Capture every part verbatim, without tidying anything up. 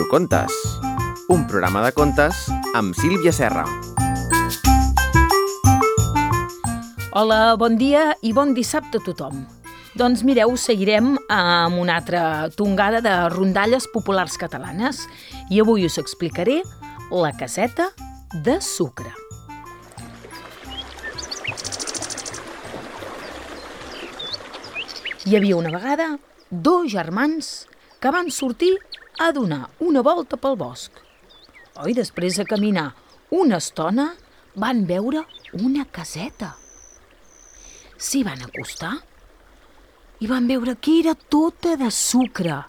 Contes, un programa de contes amb Sílvia Serra. Hola, bon dia i bon dissabte a tothom. Doncs mireu, seguirem amb una altra tongada de rondalles populars catalanes i avui us explicaré La caseta de sucre. Hi havia una vegada dos germans que van sortir a donar una volta pel bosc. Oi, després de caminar una estona, van veure una caseta. S'hi van acostar i van veure que era tota de sucre,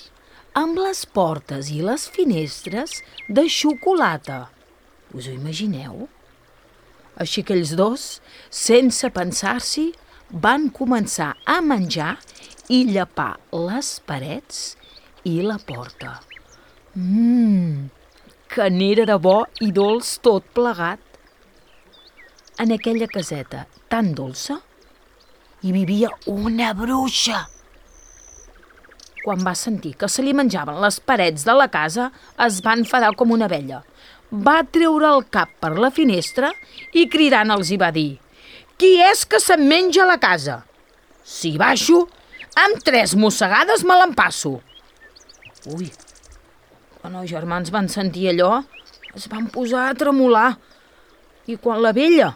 amb les portes i les finestres de xocolata. Us ho imagineu? Així que ells dos, sense pensar-s'hi, van començar a menjar i llepar les parets i la porta. Mmm, que n'era de bo i dolç tot plegat. En aquella caseta tan dolça hi vivia una bruixa. Quan va sentir que se li menjaven les parets de la casa, es va enfadar com una abella. Va treure el cap per la finestra i cridant els hi va dir: «Qui és que se'm menja la casa? Si baixo, amb tres mossegades me l'empasso». Ui, quan els germans van sentir allò, es van posar a tremolar. I quan la vella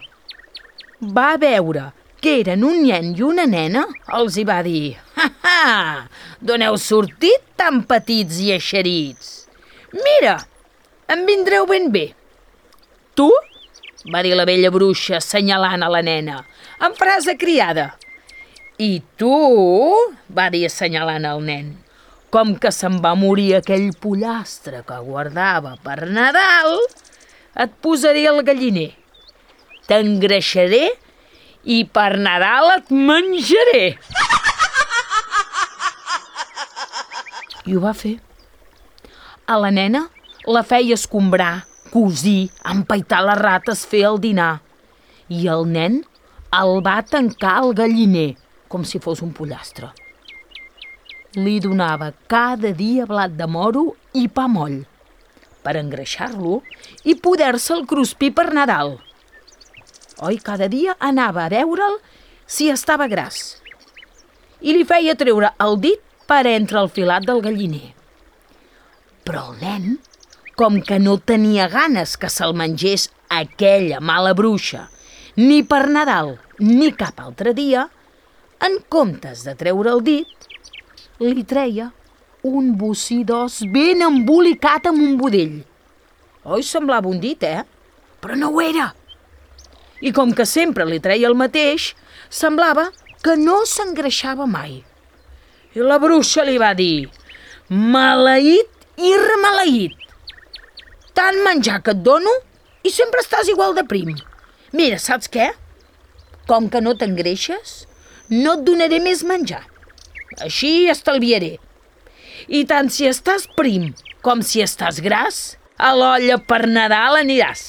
va veure que eren un nen i una nena, els hi va dir: «Ha, ha! D'on heu sortit tan petits i eixerits? Mira, em vindreu ben bé». «Tu?», va dir la vella bruixa, assenyalant a la nena, en frase criada. «I tu?», va dir assenyalant al nen, «com que se'n va morir aquell pollastre que guardava per Nadal, et posaré al galliner, t'engreixaré i per Nadal et menjaré». I ho va fer. A la nena la feia escombrar, cosir, empaitar les rates, fer el dinar. I el nen el va tancar al galliner, com si fos un pollastre. Li donava cada dia blat de moro i pa moll, per engreixar-lo i poder-se'l cruspir per Nadal. Oi, cada dia anava a veure'l si estava gras i li feia treure el dit per entre el filat del galliner. Però el nen, com que no tenia ganes que se'l mengés aquella mala bruixa, ni per Nadal ni cap altre dia, en comptes de treure el dit, li treia un bocí d'os ben embolicat amb un budell. Oi, semblava un dit, eh? Però no ho era. I com que sempre li treia el mateix, semblava que no s'engreixava mai. I la bruixa li va dir: «Maleït i remaleït! Tant menjar que et dono i sempre estàs igual de prim. Mira, saps què? Com que no t'engreixes, no et donaré més menjar. Així estalviaré. I tant si estàs prim com si estàs gras, a l'olla per Nadal aniràs».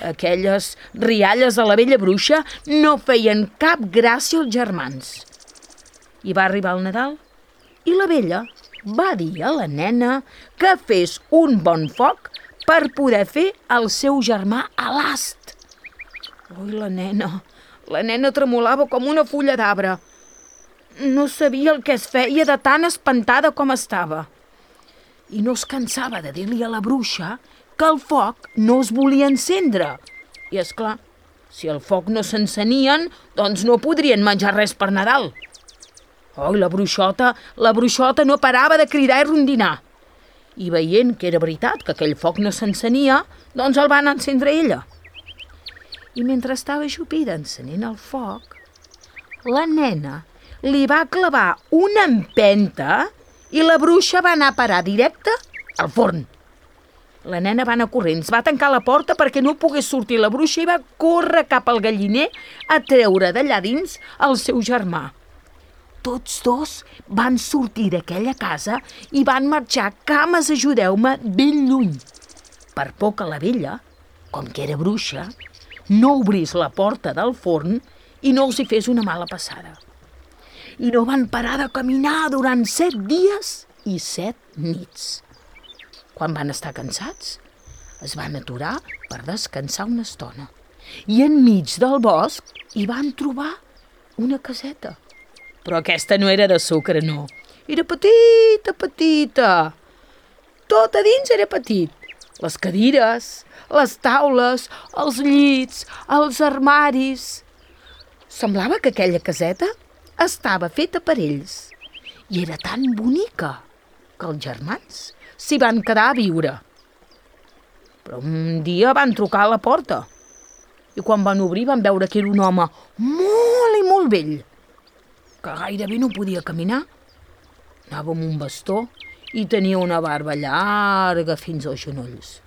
Aquelles rialles de la vella bruixa no feien cap gràcia als germans. I va arribar el Nadal i la vella va dir a la nena que fes un bon foc per poder fer el seu germà a l'ast. Ui, la nena, la nena tremolava com una fulla d'arbre. No sabia el que es feia de tan espantada com estava. I no es cansava de dir-li a la bruixa que el foc no es volia encendre. I, és clar, si el foc no s'encenien, doncs no podrien menjar res per Nadal. Oi, la bruixota, la bruixota no parava de cridar i rondinar. I veient que era veritat que aquell foc no s'encenia, doncs el van encendre ella. I mentre estava ajupida encenent el foc, la nena li va clavar una empenta i la bruixa va anar a parar directe al forn. La nena va anar corrents, va tancar la porta perquè no pogués sortir la bruixa i va córrer cap al galliner a treure d'allà dins el seu germà. Tots dos van sortir d'aquella casa i van marxar, cames, ajudeu-me, ben lluny, per por que la vella, com que era bruixa, no obrís la porta del forn i no els hi fes una mala passada. I no van parar de caminar durant set dies i set nits. Quan van estar cansats, es van aturar per descansar una estona. I enmig del bosc hi van trobar una caseta. Però aquesta no era de sucre, no. Era petita, petita. Tot a dins era petit. Les cadires, les taules, els llits, els armaris. Semblava que aquella caseta estava feta per ells. I era tan bonica que els germans s'hi van quedar a viure. Però un dia van trucar a la porta i quan van obrir van veure que era un home molt i molt vell, que gairebé no podia caminar. Anava amb un bastó i tenia una barba llarga fins als genolls.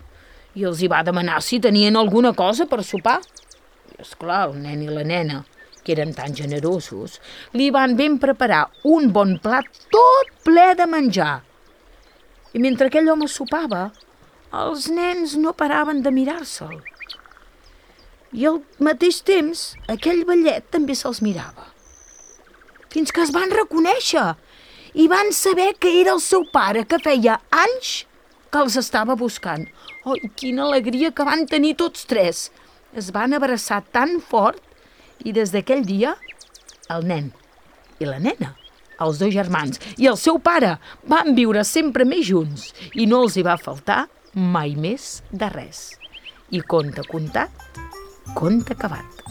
I els hi va demanar si tenien alguna cosa per sopar. I esclar, el nen i la nena, que eren tan generosos, li van ben preparar un bon plat tot ple de menjar. I mentre aquell home sopava, els nens no paraven de mirar-se'l. I al mateix temps, aquell vellet també se'ls mirava. Fins que es van reconèixer i van saber que era el seu pare, que feia anys que els estava buscant. Ai, quina alegria que van tenir tots tres! Es van abraçar tan fort i des d'aquell dia el nen i la nena, els dos germans i el seu pare van viure sempre més junts i no els hi va faltar mai més de res. I conte contat, conte acabat.